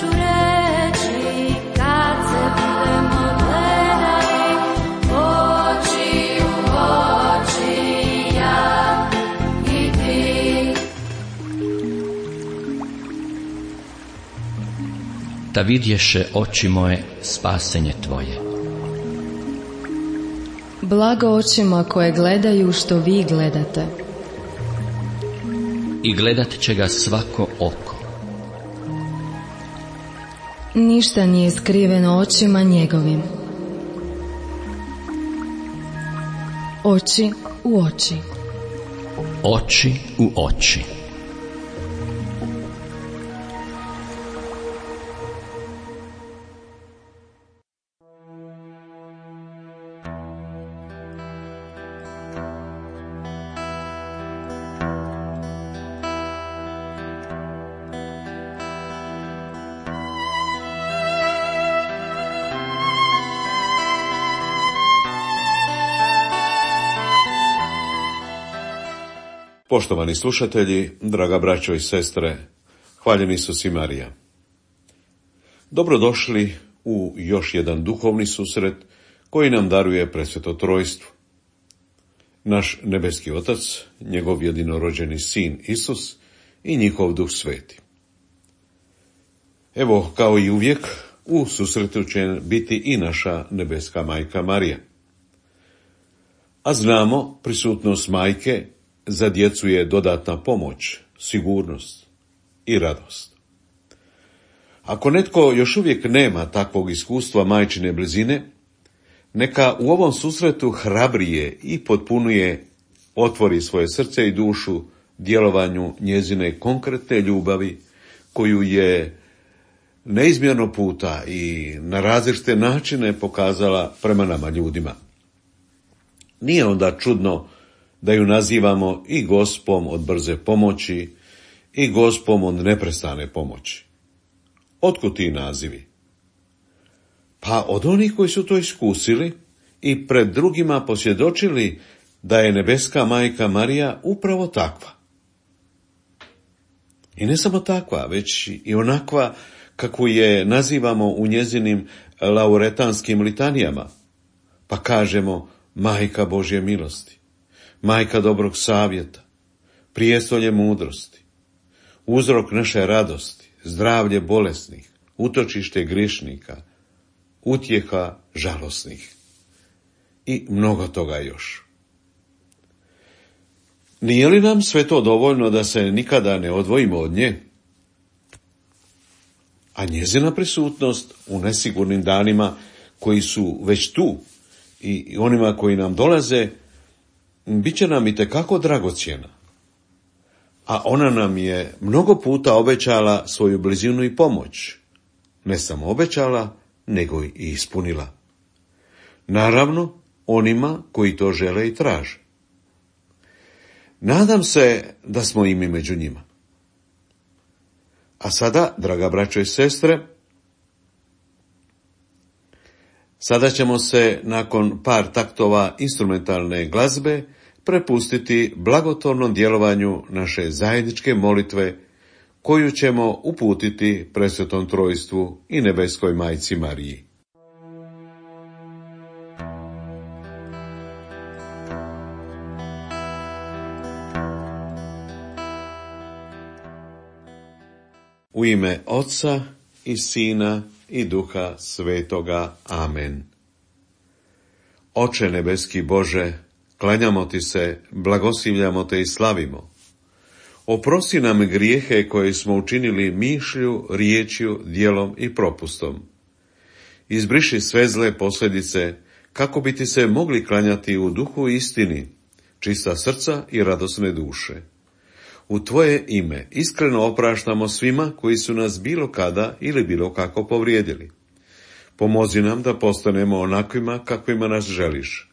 ću reći kad se budemo gledali oči u oči, ja i ti. Da vidješe oči moje spasenje tvoje. Blago očima koje gledaju što vi gledate. I gledat će ga svako oko. Ništa nije skriveno očima njegovim. Oči u oči. Oči u oči. Poštovani slušatelji, draga braćo i sestre, hvaljen Isus i Marija. Dobrodošli u još jedan duhovni susret koji nam daruje Presveto Trojstvo. Naš nebeski Otac, njegov jedinorođeni Sin Isus i njihov Duh Sveti. Evo, kao i uvijek, u susretu će biti i naša nebeska majka Marija. A znamo, prisutnost majke za djecu je dodatna pomoć, sigurnost i radost. Ako netko još uvijek nema takvog iskustva majčine blizine, neka u ovom susretu hrabrije i potpunije otvori svoje srce i dušu djelovanju njezine konkretne ljubavi, koju je neizmjerno puta i na različite načine pokazala prema nama ljudima. Nije onda čudno da ju nazivamo i Gospom od brze pomoći i Gospom od neprestane pomoći. Otkud ti nazivi? Pa od onih koji su to iskusili i pred drugima posvjedočili da je nebeska majka Marija upravo takva. I ne samo takva, već i onakva kakvu je nazivamo u njezinim lauretanskim litanijama, pa kažemo Majka Božje milosti, Majka dobrog savjeta, prijestolje mudrosti, uzrok naše radosti, zdravlje bolesnih, utočište griješnika, utjeha žalosnih i mnogo toga još. Nije li nam sve to dovoljno da se nikada ne odvojimo od nje? A njezina prisutnost u nesigurnim danima koji su već tu i onima koji nam dolaze, bit će nam itekako dragocjena. A ona nam je mnogo puta obećala svoju blizinu i pomoć. Ne samo obećala, nego i ispunila. Naravno, onima koji to žele i traže. Nadam se da smo i mi među njima. A sada, draga braćo i sestre, sada ćemo se nakon par taktova instrumentalne glazbe prepustiti blagotvornom djelovanju naše zajedničke molitve, koju ćemo uputiti Presvetom Trojstvu i nebeskoj majci Mariji. U ime Oca i Sina i Duha Svetoga. Amen. Oče nebeski Bože, klanjamo ti se, blagoslivljamo te i slavimo. Oprosti nam grijehe koje smo učinili mišlju, riječju, djelom i propustom. Izbriši sve zle posljedice, kako bi ti se mogli klanjati u duhu i istini, čista srca i radosne duše. U tvoje ime iskreno opraštamo svima koji su nas bilo kada ili bilo kako povrijedili. Pomozi nam da postanemo onakvima kakvima nas želiš.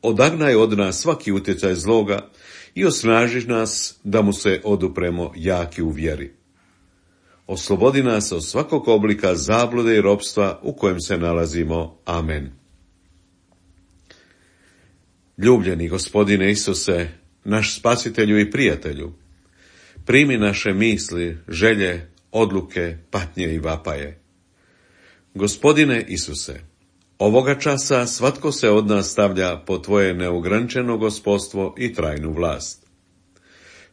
Odagnaj od nas svaki utjecaj zloga i osnaži nas da mu se odupremo jaki u vjeri. Oslobodi nas od svakog oblika zablude i ropstva u kojem se nalazimo. Amen. Ljubljeni Gospodine Isuse, naš spasitelju i prijatelju, primi naše misli, želje, odluke, patnje i vapaje. Gospodine Isuse, ovoga časa svatko se od nas stavlja po tvoje neograničeno gospodstvo i trajnu vlast.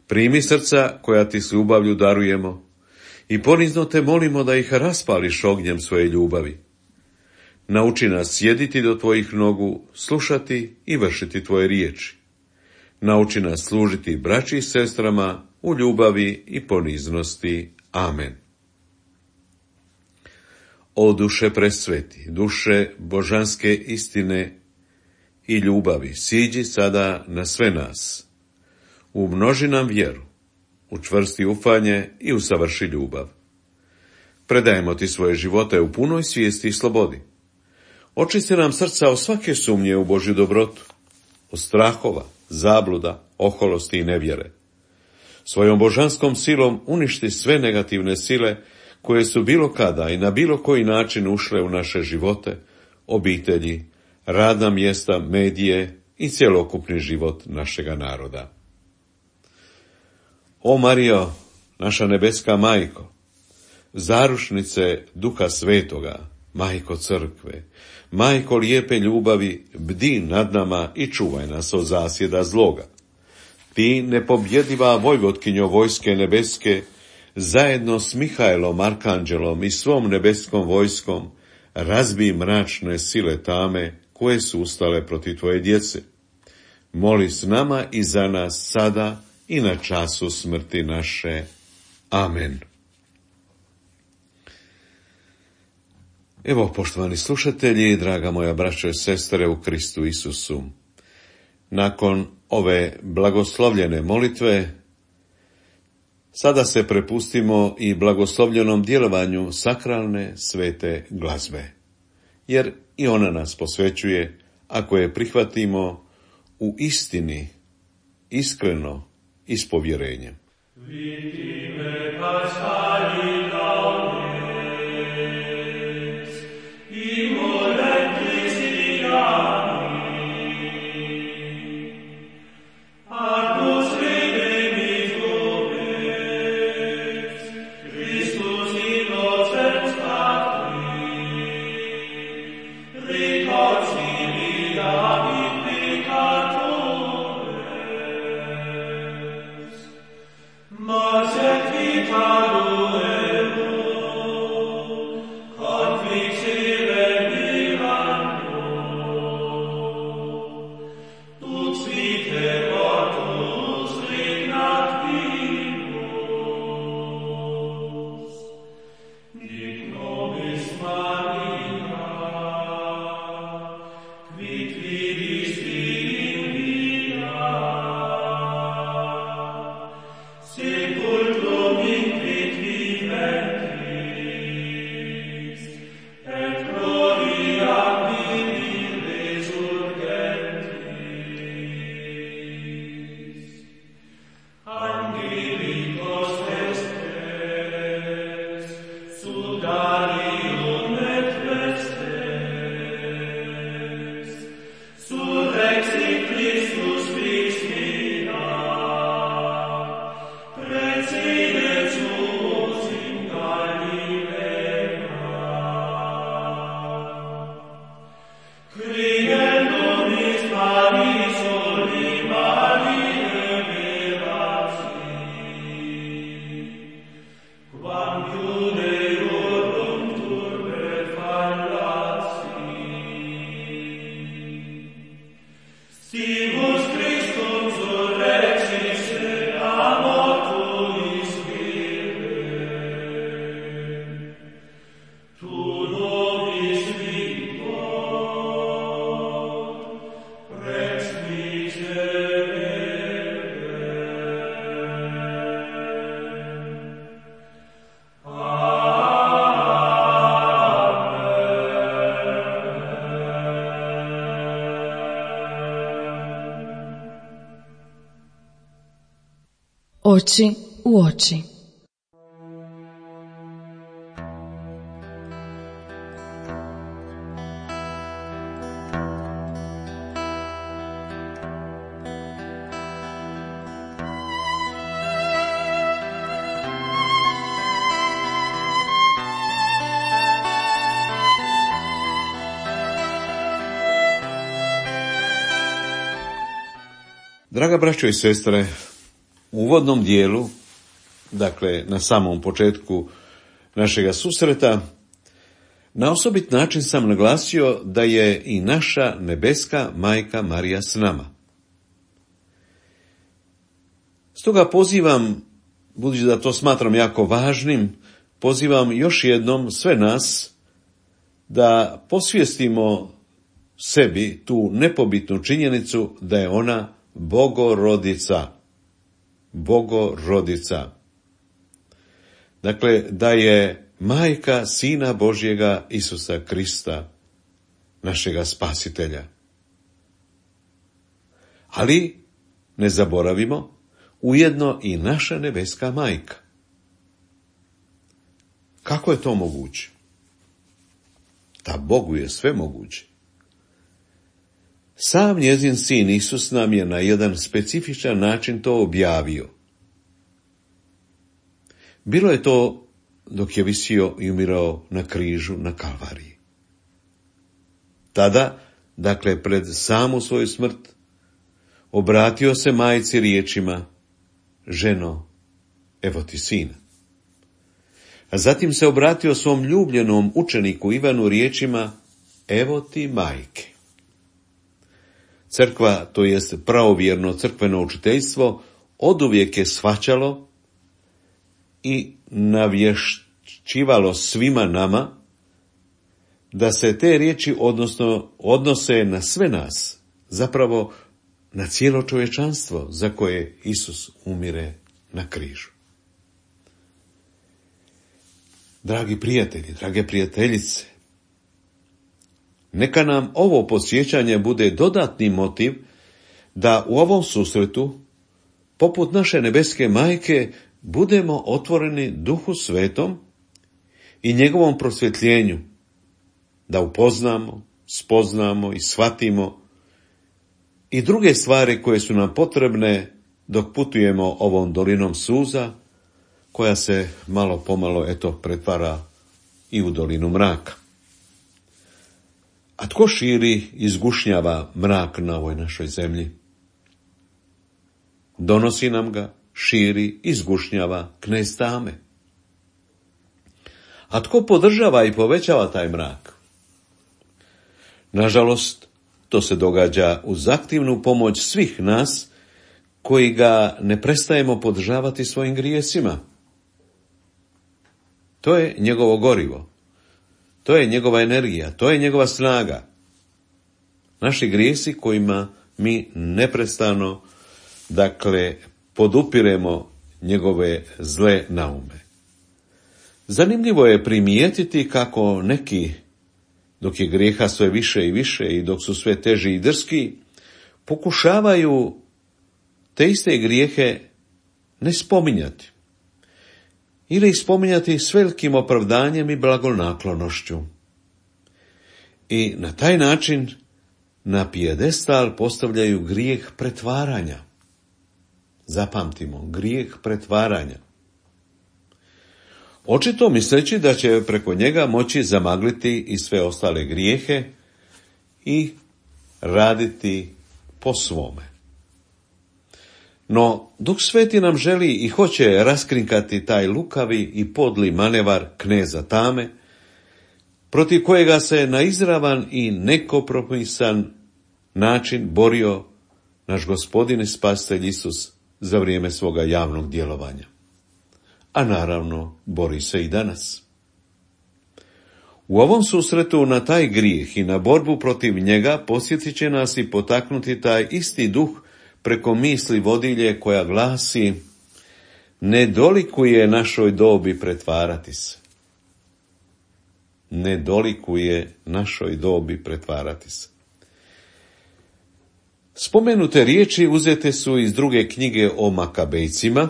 Primi srca koja ti s ljubavlju darujemo i ponizno te molimo da ih raspališ ognjem svoje ljubavi. Nauči nas sjediti do tvojih nogu, slušati i vršiti tvoje riječi. Nauči nas služiti braći i sestrama u ljubavi i poniznosti. Amen. O duše presveti, duše božanske istine i ljubavi, siđi sada na sve nas. Umnoži nam vjeru, učvrsti ufanje i usavrši ljubav. Predajemo ti svoje živote u punoj svijesti i slobodi. Očisti nam srca od svake sumnje u Božju dobrotu, od strahova, zabluda, oholosti i nevjere. Svojom božanskom silom uništi sve negativne sile koje su bilo kada i na bilo koji način ušle u naše živote, obitelji, radna mjesta, medije i cjelokupni život našega naroda. O Marijo, naša nebeska majko, zarušnice Duha Svetoga, majko crkve, majko lijepe ljubavi, bdi nad nama i čuvaj nas od zasjeda zloga. Ti, nepobjediva vojvotkinjo vojske nebeske, zajedno s Mihajlom, arkanđelom i svom nebeskom vojskom, razbij mračne sile tame koje su ustale protiv tvoje djece. Moli s nama i za nas sada i na času smrti naše. Amen. Evo, poštovani slušatelji, draga moja braćo i sestre u Kristu Isusu, nakon ove blagoslovljene molitve, sada se prepustimo i blagoslovljenom djelovanju sakralne svete glazbe, jer i ona nas posvećuje ako je prihvatimo u istini, iskreno i s povjerenjem. Oči u oči. Draga braćo i sestre, u uvodnom dijelu, dakle na samom početku našega susreta, na osobit način sam naglasio da je i naša nebeska majka Marija s nama. Stoga pozivam, budući da to smatram jako važnim, pozivam još jednom sve nas da posvijestimo sebi tu nepobitnu činjenicu da je ona Bogorodica. Bogorodica. Dakle, da je majka Sina Božjega Isusa Krista, našega spasitelja. Ali, ne zaboravimo, ujedno i naša nebeska majka. Kako je to moguće? Da Bogu je sve moguće. Sam njezin sin Isus nam je na jedan specifičan način to objavio. Bilo je to dok je visio i umirao na križu na Kalvariji. Tada, dakle pred samu svoju smrt, obratio se majci riječima: ženo, evo ti sina. A zatim se obratio svom ljubljenom učeniku Ivanu riječima: evo ti majke. Crkva, to jest pravovjerno crkveno učiteljstvo, oduvijek je shvaćalo i navješćivalo svima nama da se te riječi odnose na sve nas, zapravo na cijelo čovječanstvo za koje Isus umire na križu. Dragi prijatelji, drage prijateljice, neka nam ovo podsjećanje bude dodatni motiv da u ovom susretu, poput naše nebeske majke, budemo otvoreni Duhu Svetom i njegovom prosvjetljenju, da upoznamo, spoznamo i shvatimo i druge stvari koje su nam potrebne dok putujemo ovom dolinom suza, koja se malo pomalo pretvara i u dolinu mraka. A tko širi i zgušnjava mrak na ovoj našoj zemlji? Donosi nam ga, širi i zgušnjava knez tame. A tko podržava i povećava taj mrak? Nažalost, to se događa uz aktivnu pomoć svih nas koji ga ne prestajemo podržavati svojim grijesima. To je njegovo gorivo. To je njegova energija, to je njegova snaga. Naši grijesi kojima mi neprestano, podupiremo njegove zle naume. Zanimljivo je primijetiti kako neki, dok je grijeha sve više i više i dok su sve teži i drski, pokušavaju te iste grijehe ne spominjati. Ili ih spominjati s velikim opravdanjem i blagonaklonošću. I na taj način na pijedestal postavljaju grijeh pretvaranja. Zapamtimo, grijeh pretvaranja. Očito misleći da će preko njega moći zamagliti i sve ostale grijehe i raditi po svome. No, Duh Sveti nam želi i hoće raskrinkati taj lukavi i podli manevar kneza tame, protiv kojega se na izravan i nekompromisan način borio naš Gospodin i Spasitelj Isus za vrijeme svoga javnog djelovanja. A naravno, bori se i danas. U ovom susretu na taj grijeh i na borbu protiv njega posjetit će nas i potaknuti taj isti duh preko misli vodilje koja glasi: ne dolikuje našoj dobi pretvarati se. Ne dolikuje našoj dobi pretvarati se. Spomenute riječi uzete su iz druge knjige o Makabejcima,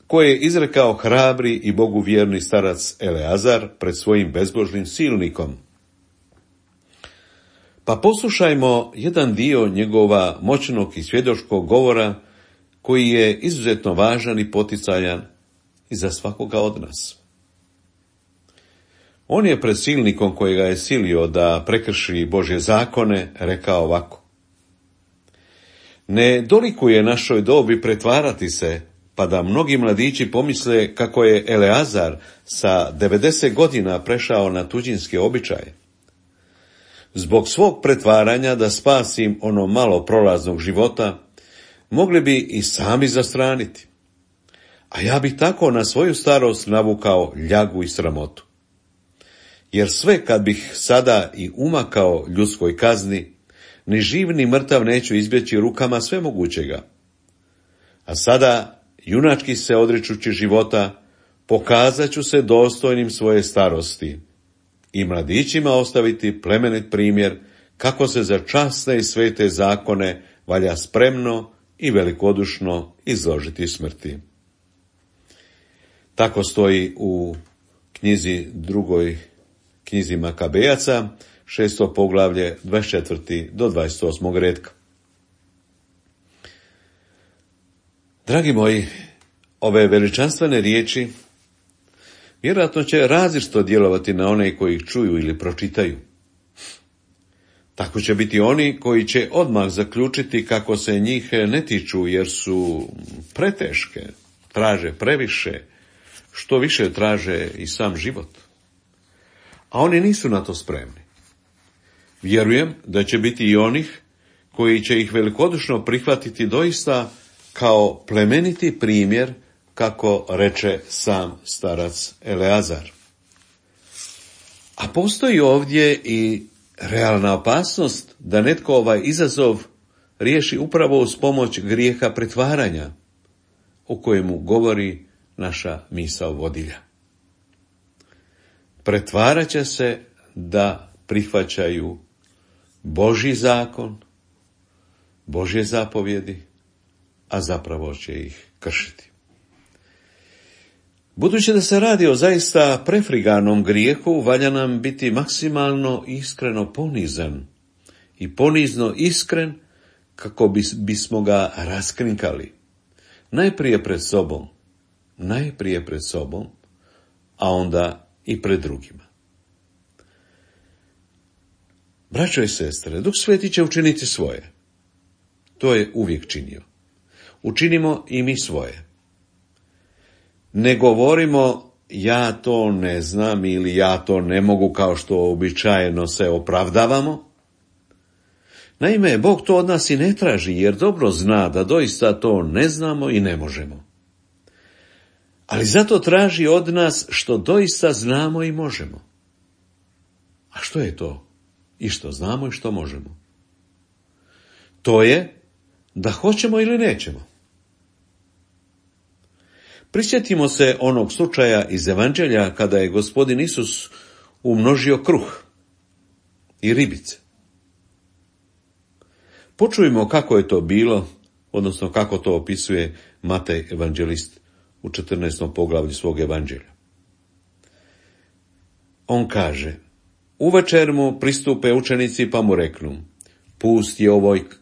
koje je izrekao hrabri i Bogu vjerni starac Eleazar pred svojim bezbožnim silnikom. Pa poslušajmo jedan dio njegova moćnog i svjedočkog govora, koji je izuzetno važan i poticajan i za svakoga od nas. On je pred silnikom kojega je silio da prekrši Božje zakone rekao ovako: Ne dolikuje našoj dobi pretvarati se, pa da mnogi mladići pomisle kako je Eleazar sa 90 godina prešao na tuđinske običaje. Zbog svog pretvaranja da spasim ono malo prolaznog života, mogli bi i sami zastraniti. A ja bih tako na svoju starost navukao ljagu i sramotu. Jer sve kad bih sada i umakao ljudskoj kazni, ni živ ni mrtav neću izbjeći rukama svemogućega. A sada, junački se odričući života, pokazat ću se dostojnim svoje starosti i mladićima ostaviti plemenit primjer kako se za časne i svete zakone valja spremno i velikodušno izložiti smrti. Tako stoji u drugoj knjizi Makabejaca, 6. poglavlje, 24. do 28. redka. Dragi moji, ove veličanstvene riječi vjerojatno će različito djelovati na one koji ih čuju ili pročitaju. Tako će biti oni koji će odmah zaključiti kako se njih ne tiču jer su preteške, traže previše, što više traže i sam život. A oni nisu na to spremni. Vjerujem da će biti i onih koji će ih velikodušno prihvatiti doista kao plemeniti primjer, kako reče sam starac Eleazar. A postoji ovdje i realna opasnost da netko ovaj izazov riješi upravo uz pomoć grijeha pretvaranja, o kojemu govori naša misao vodilja. Pretvarat će se da prihvaćaju Božji zakon, Božje zapovjedi, a zapravo će ih kršiti. Budući da se radi o zaista prefriganom grijehu, valja nam biti maksimalno iskreno ponizan i ponizno iskren kako bismo ga raskrinkali. Najprije pred sobom, a onda i pred drugima. Braćo i sestre, Duh Sveti će učiniti svoje. To je uvijek činio. Učinimo i mi svoje. Ne govorimo ja to ne znam ili ja to ne mogu kao što običajno se opravdavamo. Naime, Bog to od nas i ne traži jer dobro zna da doista to ne znamo i ne možemo. Ali zato traži od nas što doista znamo i možemo. A što je to? I što znamo i što možemo? To je da hoćemo ili nećemo. Prisjetimo se onog slučaja iz Evanđelja kada je Gospodin Isus umnožio kruh i ribice. Počujmo kako je to bilo, odnosno kako to opisuje Matej evanđelist u 14. poglavlju svog evanđelja. On kaže: uvečer mu pristupe učenici pa mu reknu: pust je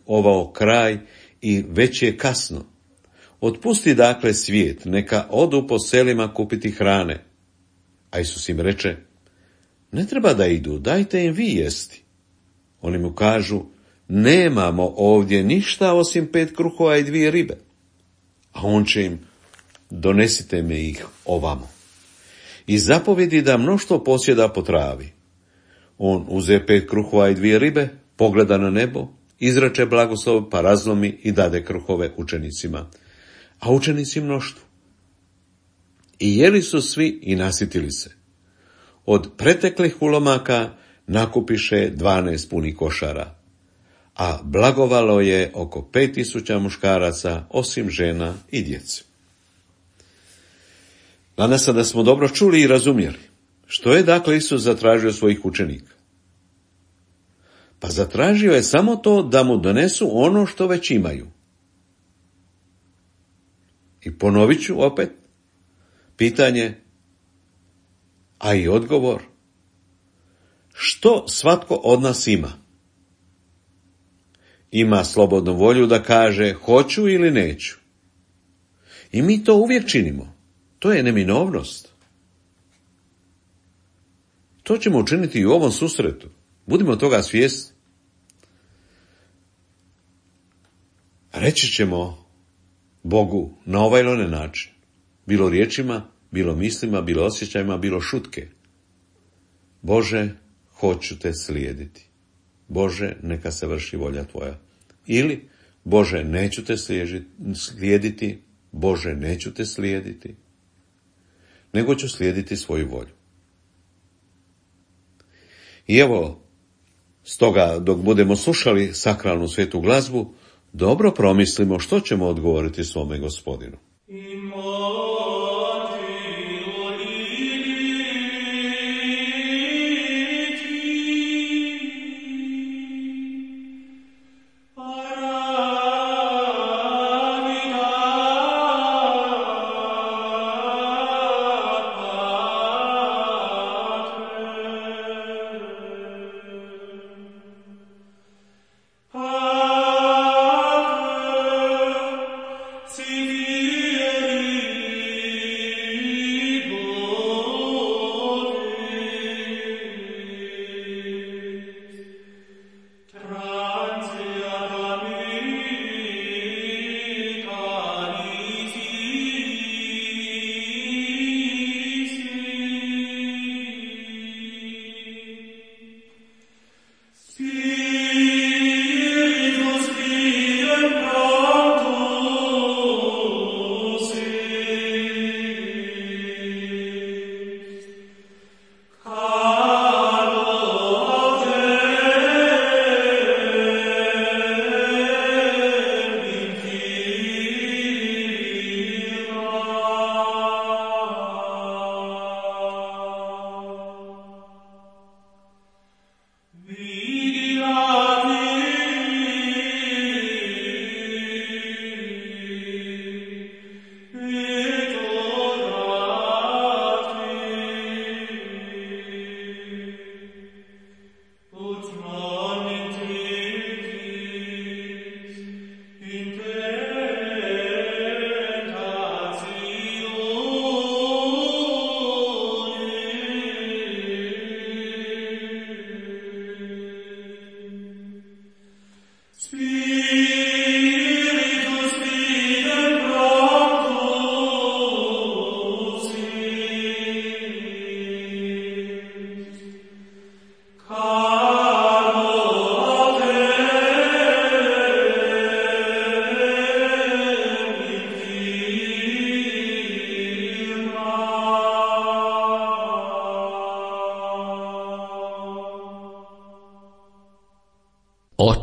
ovo kraj i već je kasno. Otpusti dakle svijet, neka odu po selima kupiti hrane. A Isus im reče: ne treba da idu, dajte im vi jesti. Oni mu kažu: nemamo ovdje ništa osim 5 kruhova i 2 ribe. A on će im: donesite mi ih ovamo. I zapovjedi da mnoštvo posjeda po travi. On uze 5 kruhova i 2 ribe, pogleda na nebo, izreče blagoslov, pa razlomi i dade kruhove učenicima, a učenici mnoštvu. I jeli su svi i nasitili se. Od preteklih ulomaka nakupiše 12 punih košara, a blagovalo je oko 5000 muškaraca, osim žena i djece. Nadam se da smo dobro čuli i razumjeli. Što je dakle Isus zatražio svojih učenika? Pa zatražio je samo to da mu donesu ono što već imaju. I ponovit ću opet pitanje, a i odgovor: što svatko od nas ima? Ima slobodnu volju da kaže hoću ili neću. I mi to uvijek činimo. To je neminovnost. To ćemo učiniti i u ovom susretu. Budimo toga svjesni. reći ćemo Bogu na ovaj ili onaj način. Bilo riječima, bilo mislima, bilo osjećajima, bilo šutke. Bože, hoću te slijediti. Bože, neka se vrši volja tvoja. Ili, Bože, neću te slijediti. Bože, neću te slijediti. Nego ću slijediti svoju volju. I evo, stoga, dok budemo slušali sakralnu svetu glazbu, dobro promislimo što ćemo odgovoriti svome Gospodinu.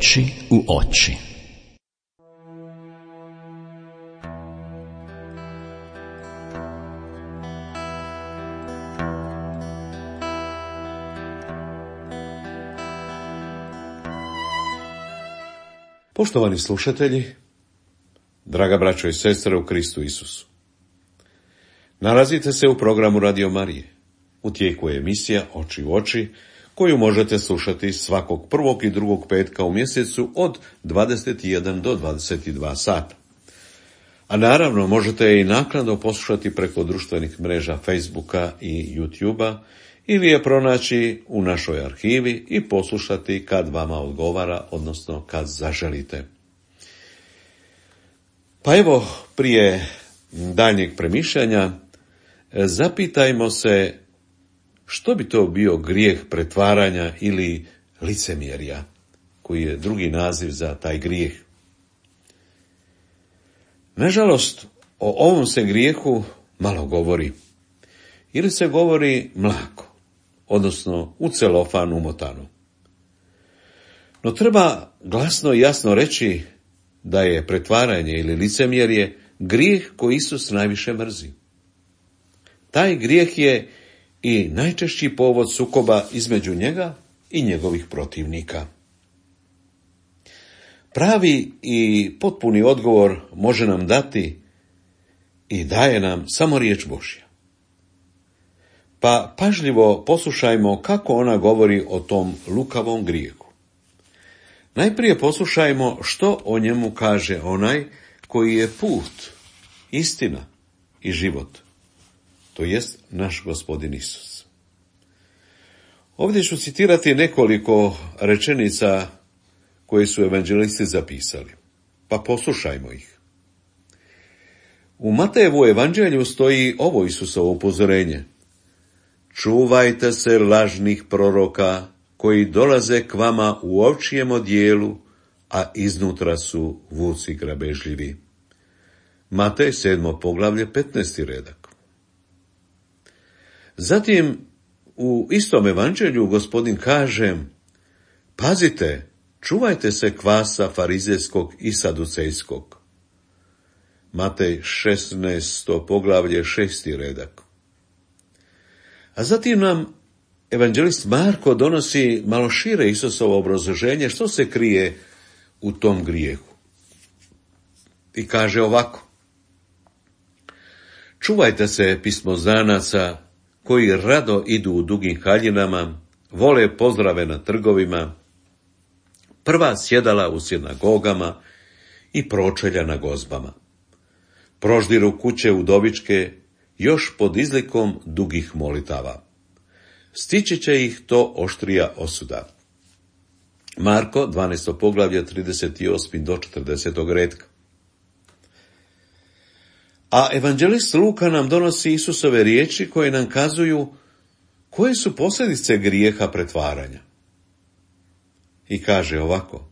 Oči u oči. Poštovani slušatelji, draga braćo i sestre u Kristu Isusu, nalazite se u programu Radio Marije. U tijeku je emisija Oči u oči, koju možete slušati svakog prvog i drugog petka u mjesecu od 21 do 22 sata. A naravno možete je i naknadno poslušati preko društvenih mreža Facebooka i YouTubea ili je pronaći u našoj arhivi i poslušati kad vama odgovara, odnosno kad zaželite. Pa evo, prije daljnjeg premišljanja, zapitajmo se što bi to bio grijeh pretvaranja ili licemjerja, koji je drugi naziv za taj grijeh. Nažalost, o ovom se grijehu malo govori, ili se govori mlako, odnosno u celofan umotano. No treba glasno i jasno reći da je pretvaranje ili licemjerje grijeh koji Isus najviše mrzi. Taj grijeh je i najčešći povod sukoba između njega i njegovih protivnika. Pravi i potpuni odgovor može nam dati i daje nam samo riječ Božja. Pa pažljivo poslušajmo kako ona govori o tom lukavom grijehu. Najprije poslušajmo što o njemu kaže onaj koji je put, istina i život, to jest naš Gospodin Isus. Ovdje ću citirati nekoliko rečenica koje su evanđelisti zapisali. Pa pa poslušajmo ih. U Matejevu evanđelju stoji ovo Isusovo upozorenje. Čuvajte se lažnih proroka koji dolaze k vama u ovčijem odijelu, a iznutra su vuci grabežljivi. Matej 7. poglavlje 15. redak. Zatim u istom evanđelju Gospodin kaže: pazite, čuvajte se kvasa farizejskog i saducejskog. Matej 16. poglavlje 6. redak. A zatim nam evanđelist Marko donosi malo šire Isusovo obrazloženje što se krije u tom grijehu. I kaže ovako: čuvajte se pismoznanaca koji rado idu u dugim haljinama, vole pozdrave na trgovima, prva sjedala u sinagogama i pročelja na gozbama. Proždiru kuće udovičke još pod izlikom dugih molitava. Stići će ih to oštrija osuda. Marko 12. poglavlje 38. do 40. retka. A evanđelist Luka nam donosi Isusove riječi koje nam kazuju koje su posljedice grijeha pretvaranja. I kaže ovako: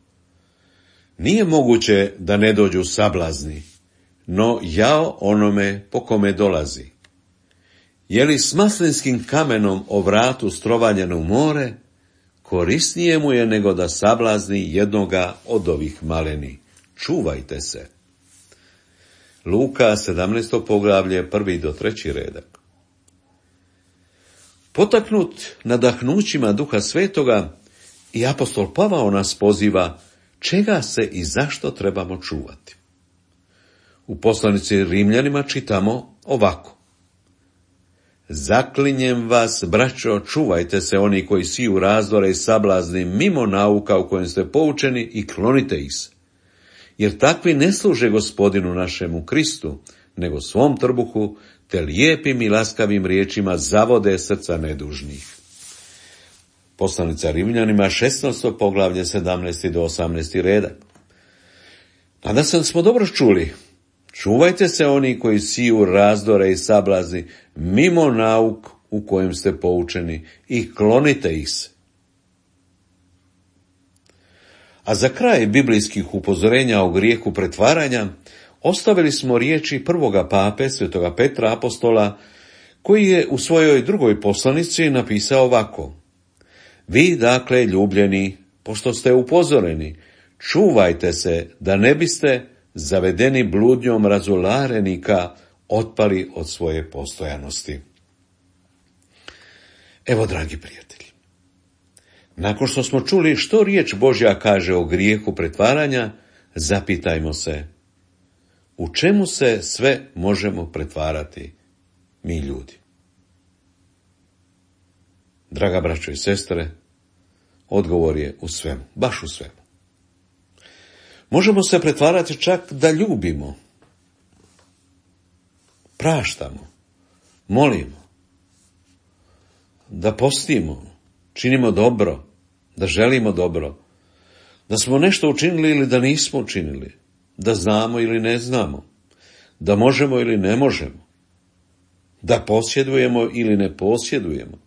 nije moguće da ne dođu sablazni, no jao onome po kome dolazi. Je li s maslinskim kamenom o vratu strovanjen u more, korisnije mu je nego da sablazni jednoga od ovih maleni. Čuvajte se. Luka 17. poglavlje 1. do 3. redak. Potaknut nadahnućima Duha Svetoga, i apostol Pavao nas poziva čega se i zašto trebamo čuvati. U poslanici Rimljanima čitamo ovako: zaklinjem vas, braćo, čuvajte se oni koji siju razdore i sablazni mimo nauka u kojem ste poučeni i klonite ih se. Jer takvi ne služe Gospodinu našemu Kristu, nego svom trbuhu, te lijepim i laskavim riječima zavode srca nedužnih. Poslanica Rimljanima 16. poglavlje 17. do 18. redak. Nadam se da smo dobro čuli. Čuvajte se oni koji siju razdore i sablazni mimo nauk u kojem ste poučeni i klonite ih se. A za kraj biblijskih upozorenja o grijehu pretvaranja ostavili smo riječi prvoga pape, svetoga Petra apostola, koji je u svojoj drugoj poslanici napisao ovako: vi, dakle, ljubljeni, pošto ste upozoreni, čuvajte se da ne biste, zavedeni bludnjom razularenika, otpali od svoje postojanosti. Evo, dragi prijatelji, nakon što smo čuli što riječ Božja kaže o grijehu pretvaranja, zapitajmo se, u čemu se sve možemo pretvarati mi ljudi? Draga braćo i sestre, odgovor je u svemu, baš u svemu. Možemo se pretvarati čak da ljubimo, praštamo, molimo, da postimo, činimo dobro, da želimo dobro, da smo nešto učinili ili da nismo učinili, da znamo ili ne znamo, da možemo ili ne možemo, da posjedujemo ili ne posjedujemo,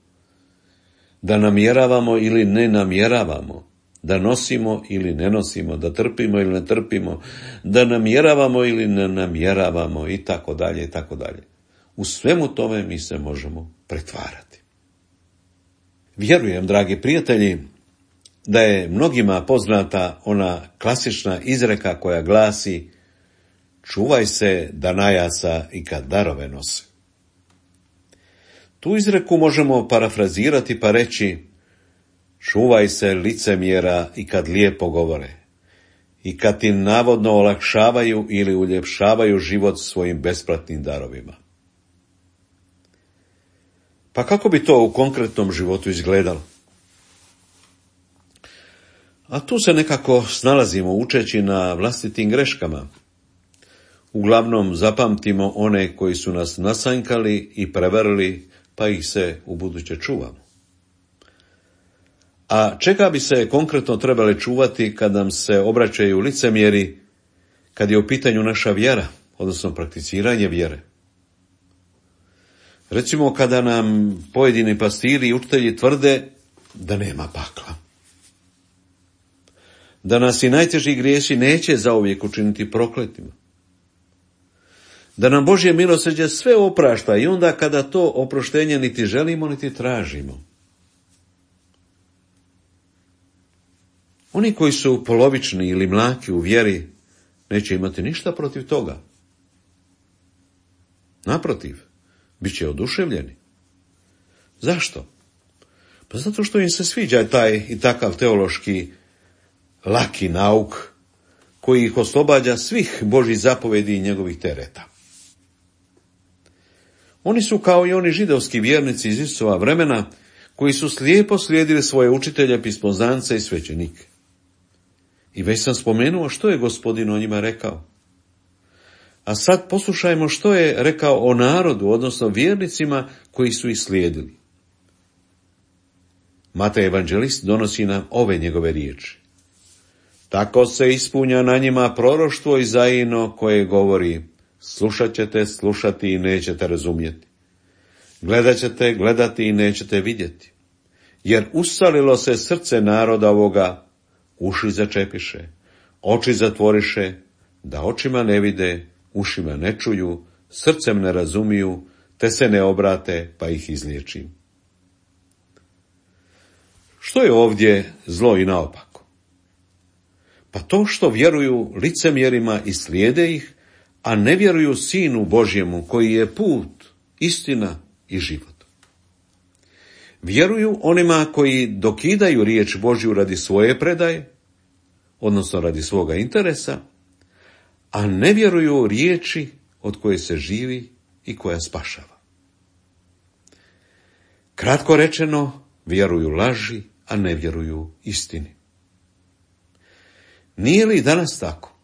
da namjeravamo ili ne namjeravamo, da nosimo ili ne nosimo, da trpimo ili ne trpimo, da namjeravamo ili ne namjeravamo i tako dalje i tako dalje. U svemu tome mi se možemo pretvarati. Vjerujem, dragi prijatelji, da je mnogima poznata ona klasična izreka koja glasi: čuvaj se danajaca i kad darove nose. Tu izreku možemo parafrazirati pa reći: čuvaj se licemjera i kad lijepo govore, i kad ti navodno olakšavaju ili uljepšavaju život svojim besplatnim darovima. Pa kako bi to u konkretnom životu izgledalo? A tu se nekako snalazimo učeći na vlastitim greškama. Uglavnom zapamtimo one koji su nas nasanjkali i prevarili, pa ih se ubuduće čuvamo. A čega bi se konkretno trebali čuvati kad nam se obraćaju licemjeri, kad je u pitanju naša vjera, odnosno prakticiranje vjere. Recimo kada nam pojedini pastiri i učitelji tvrde da nema pakla. Da nas i najteži grijesi neće zauvijek učiniti prokletima. Da nam Božje milosrđe sve oprašta i onda kada to oproštenje niti želimo niti tražimo. Oni koji su polovični ili mlaki u vjeri neće imati ništa protiv toga. Naprotiv, bit će oduševljeni. Zašto? Pa zato što im se sviđa taj i takav teološki laki nauk koji ih oslobađa svih Božjih zapovedi i njegovih tereta. Oni su kao i oni židovski vjernici iz Isusova vremena koji su slijepo slijedili svoje učitelje, pismoznance i svećenike. I već sam spomenuo što je Gospodin o njima rekao. A sad poslušajmo što je rekao o narodu, odnosno vjernicima koji su ih slijedili. Matej evanđelist donosi nam ove njegove riječi. Tako se ispunja na njima proroštvo Izajino koje govori: slušat ćete slušati i nećete razumjeti. Gledat ćete gledati i nećete vidjeti. Jer usalilo se srce naroda ovoga, uši začepiše, oči zatvoriše, da očima ne vide, ušima ne čuju, srcem ne razumiju, te se ne obrate, pa ih izliječim. Što je ovdje zlo i naopako? Pa to što vjeruju licemjerima i slijede ih, a ne vjeruju Sinu Božjemu koji je put, istina i život. Vjeruju onima koji dokidaju riječ Božju radi svoje predaje, odnosno radi svoga interesa, a ne vjeruju riječi od koje se živi i koja spašava. Kratko rečeno, vjeruju laži, a ne vjeruju istini. Nije li danas tako?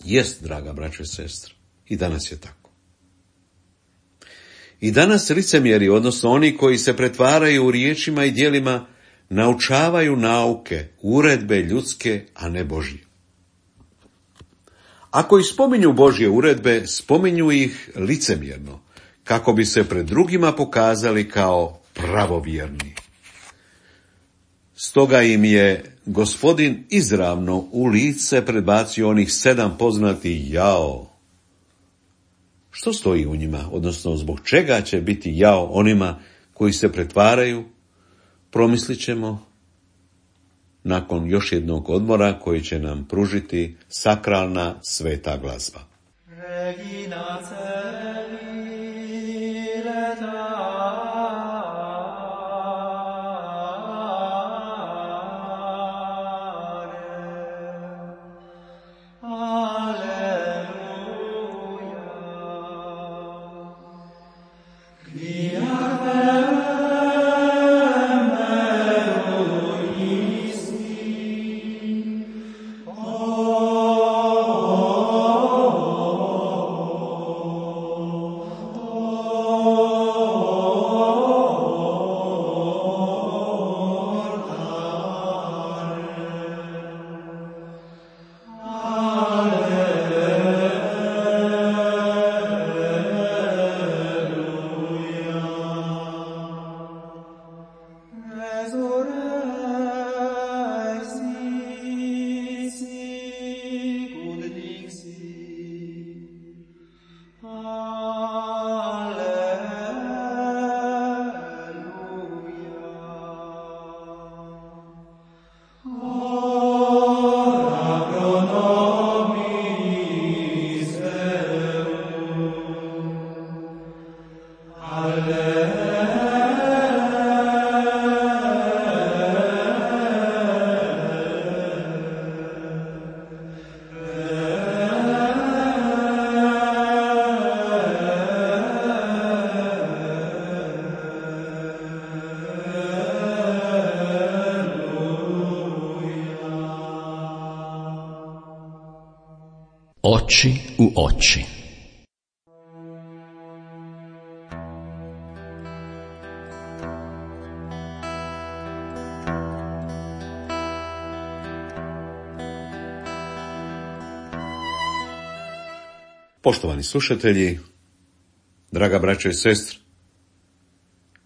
Jest, draga braćo i sestre, i danas je tako. I danas licemjeri, odnosno oni koji se pretvaraju u riječima i djelima, naučavaju nauke, uredbe ljudske, a ne Božje. Ako i spominju Božje uredbe, spominju ih licemjerno, kako bi se pred drugima pokazali kao pravovjerni. Stoga im je Gospodin izravno u lice predbacio onih 7 poznatih jao. Što stoji u njima, odnosno zbog čega će biti jao onima koji se pretvaraju, promislit ćemo nakon još jednog odmora koji će nam pružiti sakralna sveta glazba. Regina Oči u oči. Poštovani slušatelji, draga braćo i sestre,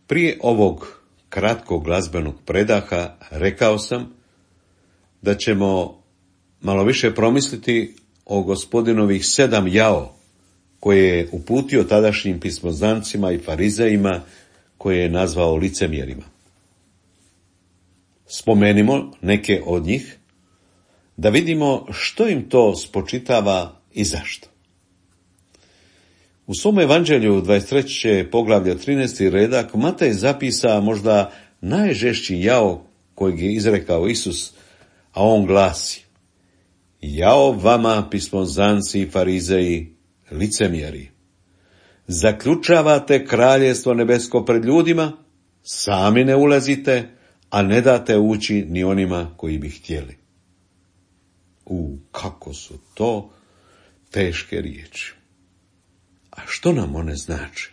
prije ovog kratkog glazbenog predaha rekao sam da ćemo malo više promisliti o Gospodinovih 7 jao koje je uputio tadašnjim pismoznancima i farizejima, koje je nazvao licemjerima. Spomenimo neke od njih, da vidimo što im to spočitava i zašto. U svom evanđelju 23. poglavlja 13. redak Matej zapisa možda najžešći jao kojeg je izrekao Isus, a on glasi: jao vama, pismoznanci i farizeji, licemjeri! Zaključavate kraljestvo nebesko pred ljudima, sami ne ulazite, a ne date ući ni onima koji bi htjeli. Kako su to teške riječi. A što nam one znače?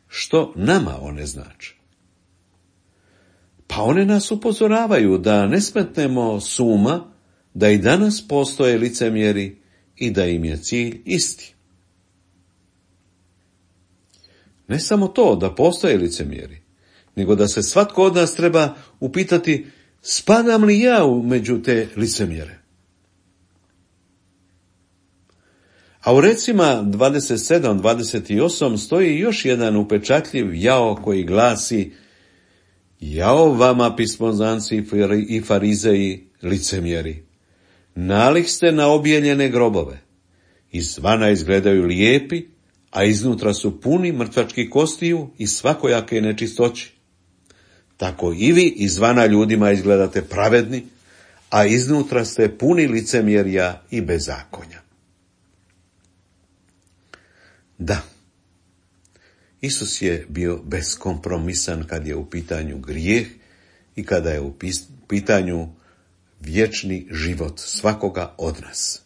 Što nama one znače? Pa one nas upozoravaju da ne smetnemo s uma da i danas postoje licemjeri i da im je cilj isti. Ne samo to da postoje licemjeri, nego da se svatko od nas treba upitati: spadam li ja među te licemjere? A u recima 27-28 stoji još jedan upečatljiv jao koji glasi: jao vama, pismoznanci i farizeji, licemjeri! Nalik ste na objeljene grobove. Izvana izgledaju lijepi, a iznutra su puni mrtvačkih kostiju i svakojake nečistoći. Tako i vi izvana ljudima izgledate pravedni, a iznutra ste puni licemjerja i bezakonja. Da, Isus je bio beskompromisan kad je u pitanju grijeh i kada je u pitanju vječni život svakoga od nas.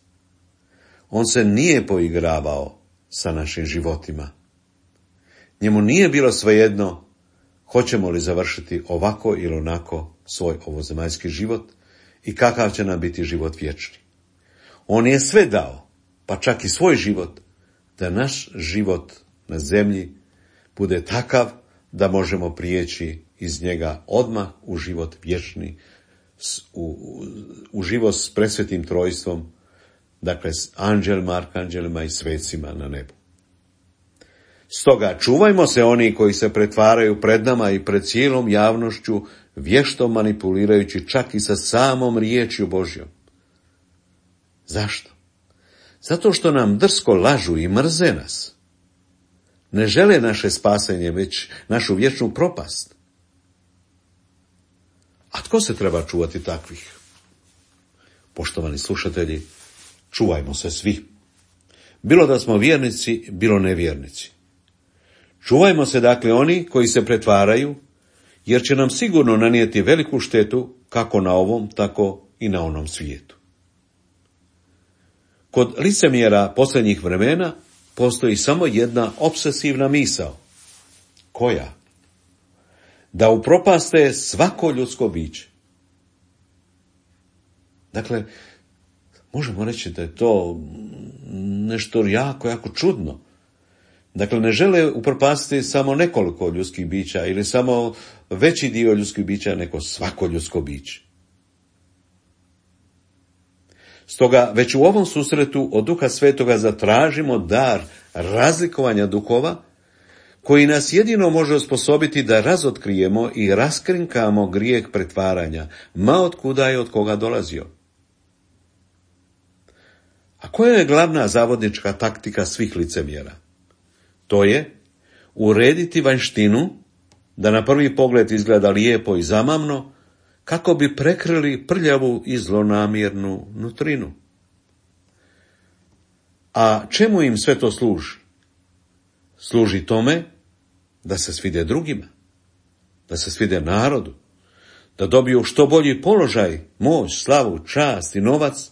On se nije poigravao sa našim životima. Njemu nije bilo svejedno hoćemo li završiti ovako ili onako svoj ovozemaljski život i kakav će nam biti život vječni. On je sve dao, pa čak i svoj život, da naš život na zemlji bude takav da možemo prijeći iz njega odmah u život vječni, u život s presvetim trojstvom, dakle s anđelima, arkanđelima i svecima na nebu. Stoga čuvajmo se oni koji se pretvaraju pred nama i pred cijelom javnošću, vješto manipulirajući čak i sa samom riječju Božjom. Zašto? Zato što nam drsko lažu i mrze nas. Ne žele naše spasenje, već našu vječnu propast. A tko se treba čuvati takvih? Poštovani slušatelji, čuvajmo se svi. Bilo da smo vjernici, bilo nevjernici. Čuvajmo se dakle oni koji se pretvaraju, jer će nam sigurno nanijeti veliku štetu kako na ovom, tako i na onom svijetu. Kod licemjera posljednjih vremena postoji samo jedna opsesivna misao. Koja? Da upropaste svako ljudsko biće. Dakle, možemo reći da je to nešto jako čudno. Dakle, ne žele upropastiti samo nekoliko ljudskih bića ili samo veći dio ljudskih bića, nego svako ljudsko biće. Stoga već u ovom susretu od Duha Svetoga zatražimo dar razlikovanja duhova, koji nas jedino može osposobiti da razotkrijemo i raskrinkamo grijeh pretvaranja, ma od kuda je od koga dolazio. A koja je glavna zavodnička taktika svih licemjera? To je urediti vanjštinu, da na prvi pogled izgleda lijepo i zamamno, kako bi prekrili prljavu i zlonamjernu nutrinu. A čemu im sve to služi? Služi tome da se svide drugima, da se svide narodu, da dobiju što bolji položaj, moć, slavu, čast i novac,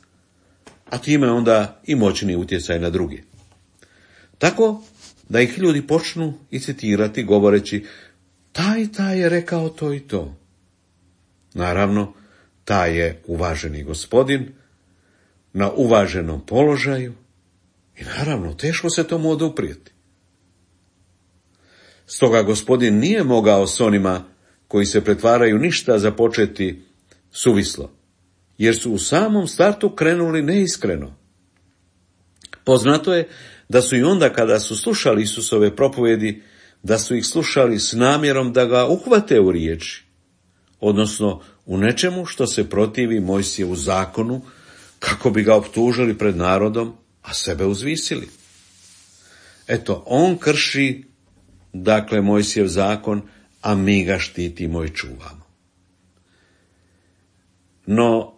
a time onda i moćni utjecaj na druge. Tako da ih ljudi počnu i citirati govoreći: taj je rekao to i to. Naravno, taj je uvaženi gospodin, na uvaženom položaju I naravno, teško se tomu oduprijeti. Stoga Gospodin nije mogao s onima koji se pretvaraju ništa započeti suvislo, jer su u samom startu krenuli neiskreno. Poznato je da su i onda kada su slušali Isusove propovjedi, da su ih slušali s namjerom da ga uhvate u riječi, odnosno u nečemu što se protivi Mojsijevu zakonu, kako bi ga optužili pred narodom, a sebe uzvisili. Eto, on krši, dakle, Mojsijev zakon, a mi ga štitimo i čuvamo. No,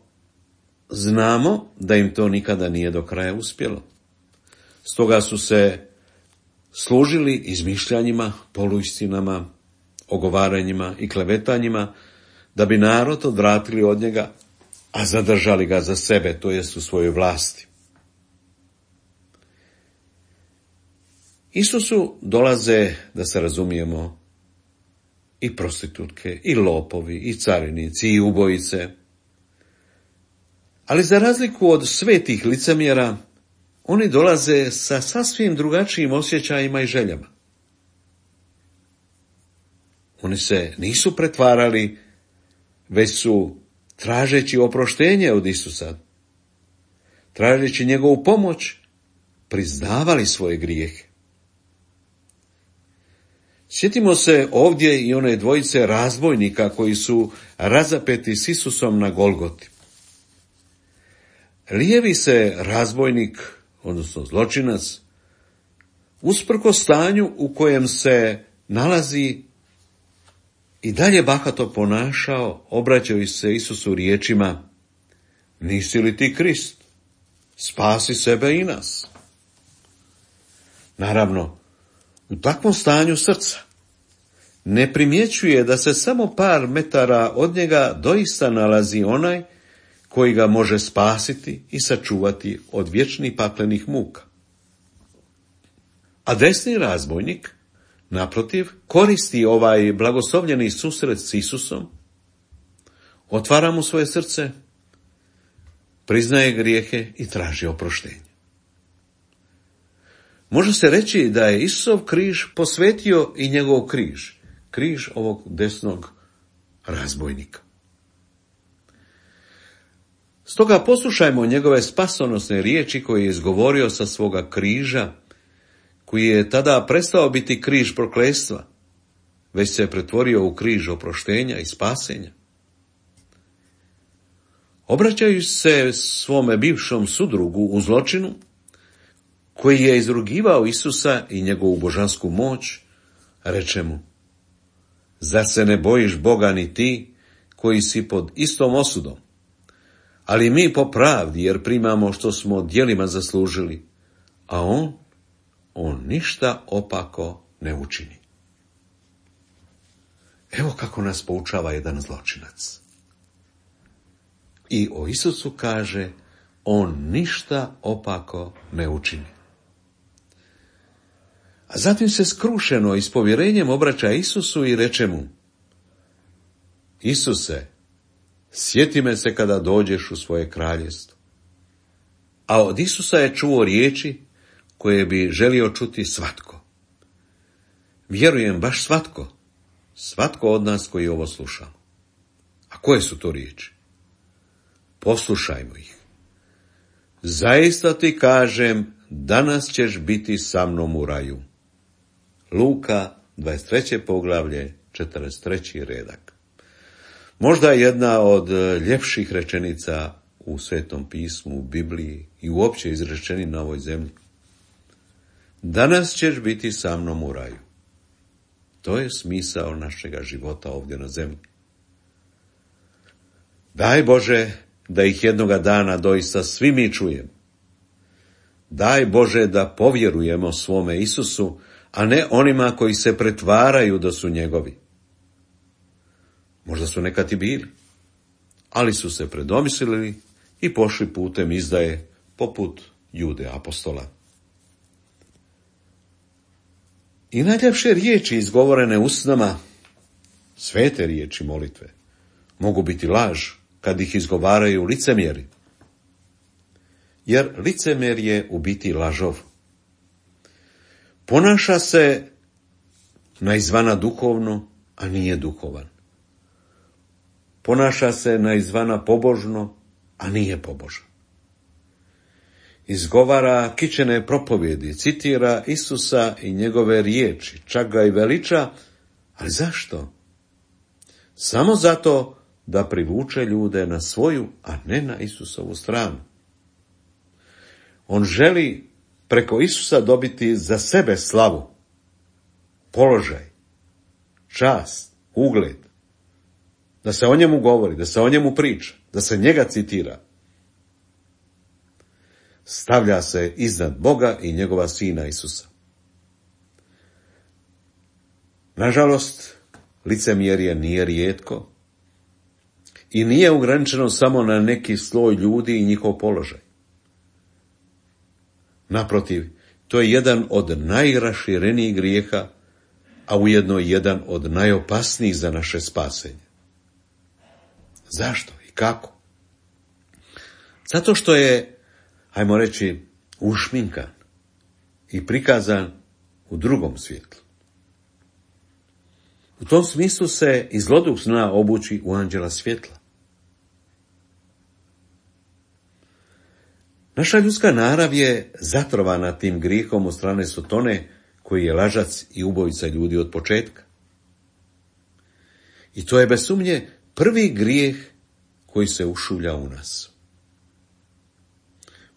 znamo da im to nikada nije do kraja uspjelo. Stoga su se služili izmišljanjima, poluistinama, ogovaranjima i klevetanjima, da bi narod odvratili od njega, a zadržali ga za sebe, to jest u svojoj vlasti. Isusu dolaze, da se razumijemo, i prostitutke, i lopovi, i carinici, i ubojice. Ali za razliku od svetih licemjera, oni dolaze sa sasvim drugačijim osjećajima i željama. Oni se nisu pretvarali, već su, tražeći oproštenje od Isusa, tražeći njegovu pomoć, priznavali svoje grijehe. Sjetimo se ovdje i one dvojice razbojnika koji su razapeti s Isusom na Golgoti. Lijevi se razbojnik, odnosno zločinac, usprkos stanju u kojem se nalazi, i dalje bahato ponašao, obraćajući se Isusu riječima: nisi li ti Krist? Spasi sebe i nas. Naravno, u takvom stanju srca ne primjećuje da se samo par metara od njega doista nalazi onaj koji ga može spasiti i sačuvati od vječnih paklenih muka. A desni razbojnik, naprotiv, koristi ovaj blagoslovljeni susret s Isusom, otvara mu svoje srce, priznaje grijehe i traži oproštenje. Može se reći da je Isusov križ posvetio i njegov križ, križ ovog desnog razbojnika. Stoga poslušajmo njegove spasonosne riječi koje je izgovorio sa svoga križa, koji je tada prestao biti križ prokletstva, već se pretvorio u križ oproštenja i spasenja. Obraćajući se svome bivšom sudrugu u zločinu, koji je izrugivao Isusa i njegovu božansku moć, reče mu: zar se ne bojiš Boga ni ti, koji si pod istom osudom? Ali mi po pravdi, jer primamo što smo djelima zaslužili, a on ništa opako ne učini. Evo kako nas poučava jedan zločinac. I o Isusu kaže: on ništa opako ne učini. A zatim se skrušeno i s povjerenjem obraća Isusu i reče mu: Isuse, sjeti me se kada dođeš u svoje kraljevstvo. A od Isusa je čuo riječi koje bi želio čuti svatko. Vjerujem, baš svatko. Svatko od nas koji ovo sluša. A koje su to riječi? Poslušajmo ih. Zaista ti kažem, danas ćeš biti sa mnom u raju. Luka, 23. poglavlje, 43. redak. Možda jedna od ljepših rečenica u Svetom pismu, u Bibliji i uopće izrečeni na ovoj zemlji. Danas ćeš biti sa mnom u raju. To je smisao našega života ovdje na zemlji. Daj Bože da ih jednoga dana doista svi mi čujemo. Daj Bože da povjerujemo svome Isusu, a ne onima koji se pretvaraju da su njegovi. Možda su nekad i bili, ali su se predomislili i pošli putem izdaje, poput Jude apostola. I najljepše riječi izgovorene usnama, svete riječi molitve, mogu biti laž kad ih izgovaraju licemjeri. Jer licemjer je u biti lažov, Ponaša se na izvana duhovno, a nije duhovan. Ponaša se na izvana pobožno, a nije pobožan. Izgovara kičene propovjedi, citira Isusa i njegove riječi, čak ga i veliča, ali zašto? Samo zato da privuče ljude na svoju, a ne na Isusovu stranu. On želi preko Isusa dobiti za sebe slavu, položaj, čast, ugled, da se o njemu govori, da se o njemu priča, da se njega citira. Stavlja se iznad Boga i njegova sina Isusa. Nažalost, licemjerje nije rijetko i nije ograničeno samo na neki sloj ljudi i njihov položaj. Naprotiv, to je jedan od najraširenijih grijeha, a ujedno jedan od najopasnijih za naše spasenje. Zašto i kako? Zato što je, hajmo reći, ušminkan i prikazan u drugom svjetlu. U tom smislu se i zloduh zna obući u anđela svjetla. Naša ljudska narav je zatrovana tim grijehom od strane Sotone, koji je lažac i ubojica ljudi od početka. I to je bez sumnje prvi grijeh koji se ušulja u nas.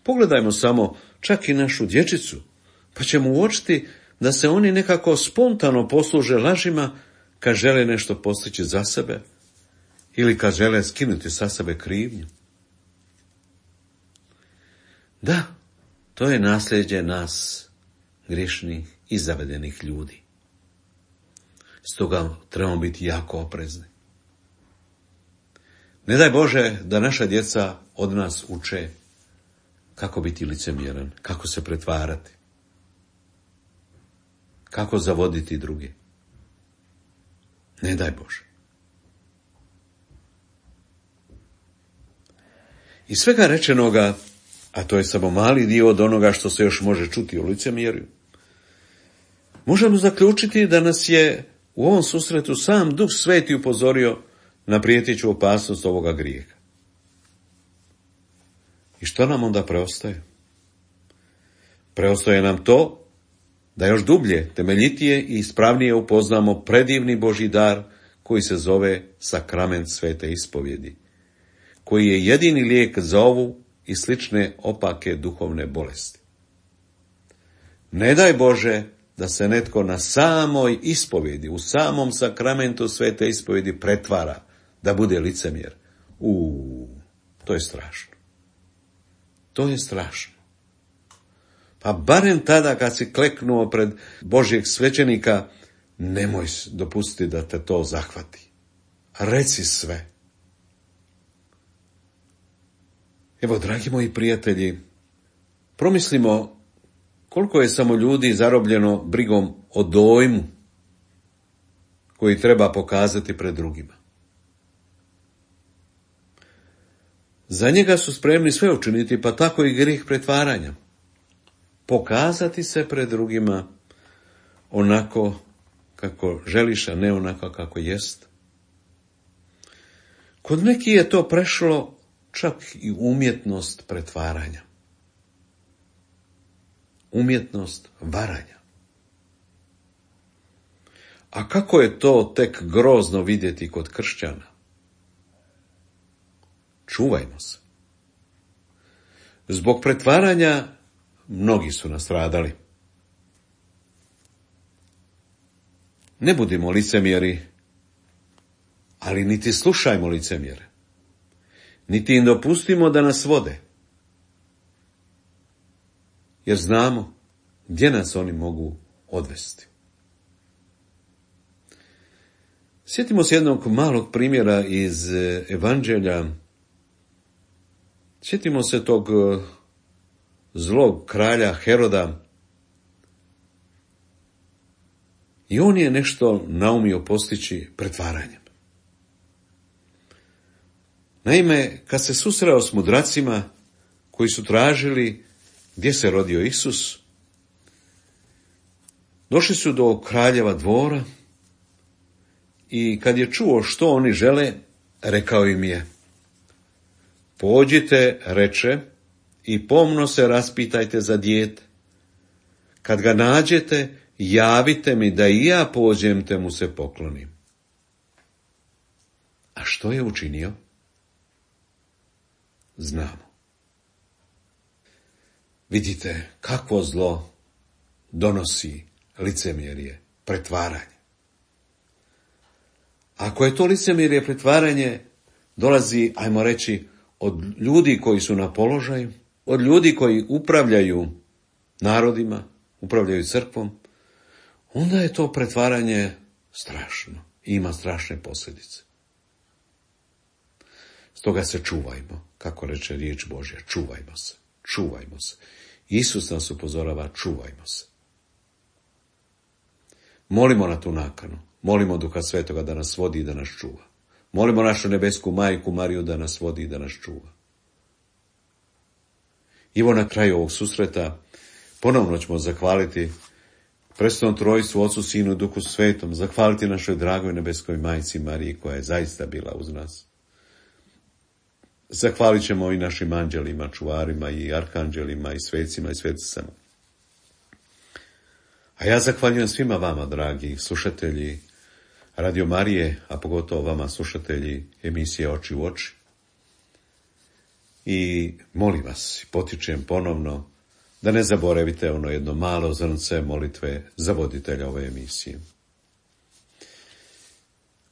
Pogledajmo samo čak i našu dječicu, pa ćemo uočiti da se oni nekako spontano posluže lažima kad žele nešto postići za sebe ili kad žele skinuti sa sebe krivnju. Da, to je nasljeđe nas, grešnih i zavedenih ljudi. Stoga trebamo biti jako oprezni. Ne daj Bože da naša djeca od nas uče kako biti licemjeran, kako se pretvarati, kako zavoditi druge. Ne daj Bože. Iz svega rečenoga, a to je samo mali dio od onoga što se još može čuti o licemjerju, možemo zaključiti da nas je u ovom susretu sam Duh Sveti upozorio na prijeteću opasnost ovoga grijeha. I što nam onda preostaje? Preostaje nam to da još dublje, temeljitije i ispravnije upoznamo predivni Božji dar koji se zove sakrament svete ispovjedi, koji je jedini lijek za ovu i slične opake duhovne bolesti. Ne daj Bože da se netko na samoj ispovjedi, u samom sakramentu svete ispovjedi pretvara, da bude licemjer. To je strašno. To je strašno. Pa barem tada kad si kleknuo pred Božjeg svećenika, nemoj dopustiti da te to zahvati. Reci sve. Evo, dragi moji prijatelji, promislimo koliko je samo ljudi zarobljeno brigom o dojmu koji treba pokazati pred drugima. Za njega su spremni sve učiniti, pa tako i grijeh pretvaranja. Pokazati se pred drugima onako kako želiš, a ne onako kako jest. Kod nekih je to prešlo čak i umjetnost pretvaranja. Umjetnost varanja. A kako je to tek grozno vidjeti kod kršćana? Čuvajmo se. Zbog pretvaranja mnogi su nastradali. Ne budimo licemjeri, ali niti slušajmo licemjere. Niti im dopustimo da nas vode. Jer znamo gdje nas oni mogu odvesti. Sjetimo se jednog malog primjera iz Evanđelja. Sjetimo se tog zlog kralja Heroda. I on je nešto naumio postići pretvaranjem. Naime, kad se susreo s mudracima koji su tražili gdje se rodio Isus, Došli su do kraljeva dvora i kad je čuo što oni žele, rekao im je: pođite, reče, i pomno se raspitajte za dijete. Kad ga nađete, javite mi da i ja pođem te mu se poklonim. A što je učinio? Znamo. Vidite kakvo zlo donosi licemjerje, pretvaranje. Ako je to licemjerje, pretvaranje, dolazi, ajmo reći, od ljudi koji su na položaju, od ljudi koji upravljaju narodima, upravljaju crkvom, onda je to pretvaranje strašno i ima strašne posljedice. Stoga se čuvajmo, kako reče riječ Božja, čuvajmo se, čuvajmo se. Isus nas upozorava, čuvajmo se. Molimo na tu nakanu, molimo Duha Svetoga da nas vodi i da nas čuva. Molimo našu nebesku majku Mariju da nas vodi i da nas čuva. Evo na kraju ovog susreta ponovno ćemo zahvaliti Presvetom Trojstvu, Ocu, Sinu i Duhu Svetom, zahvaliti našoj dragoj nebeskoj majci Mariji koja je zaista bila uz nas. Zahvalit ćemo i našim anđelima, čuvarima i arkanđelima i svecima i sveticama. A ja zahvaljujem svima vama, dragi slušatelji Radio Marije, a pogotovo vama, slušatelji emisije Oči u oči. I molim vas, potičem ponovno, da ne zaboravite ono jedno malo zrnce molitve za voditelja ove emisije.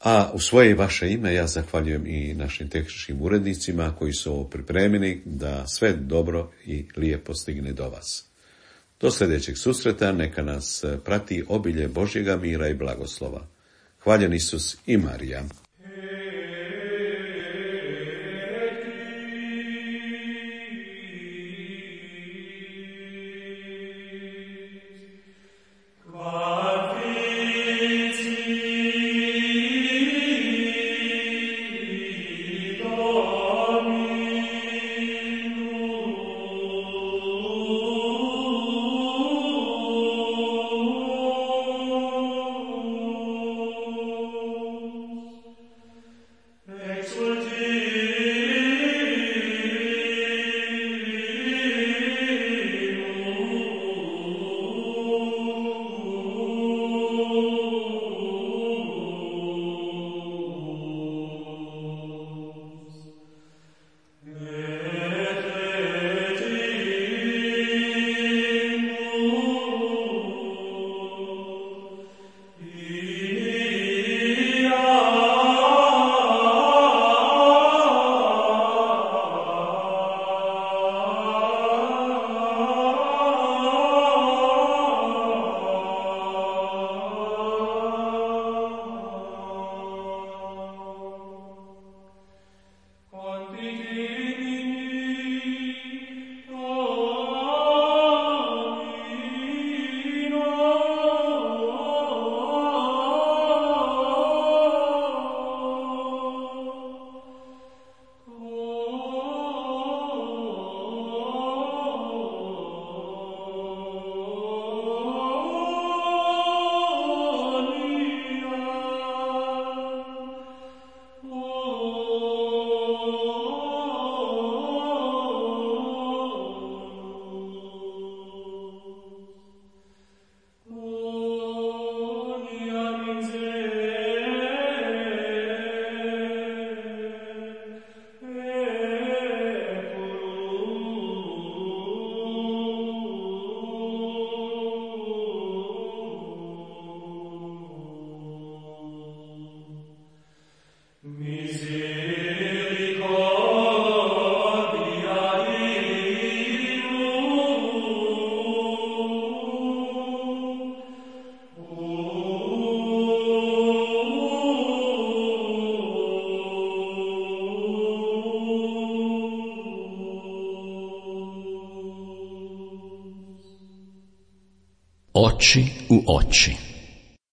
A u svoje i vaše ime ja zahvaljujem i našim tehničkim urednicima koji su ovo pripremili da sve dobro i lijepo stigne do vas. Do sljedećeg susreta neka nas prati obilje Božjega mira i blagoslova. Hvaljen Isus i Marija. Oči u oči.